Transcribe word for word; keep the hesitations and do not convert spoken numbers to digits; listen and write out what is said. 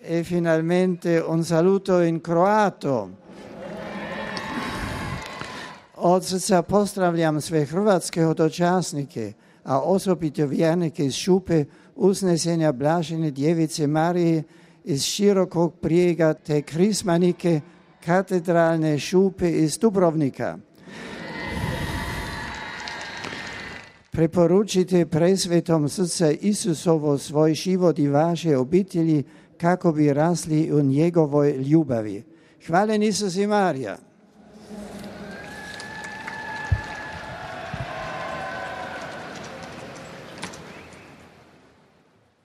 E finalmente un saluto in kroato. Od srca pozdravljam sve hrvatske dočasnike, a osobito vjernike iz Šupe, Uznesenja Blažene Djevice Marije, iz Širokog Brijega te krismanike katedralne Šupe iz Dubrovnika. Preporučite presvetom srca Isusovo svoj život i vaše obitelji kako bi rasli u njegovoj ljubavi. Hvala Isus i Marija.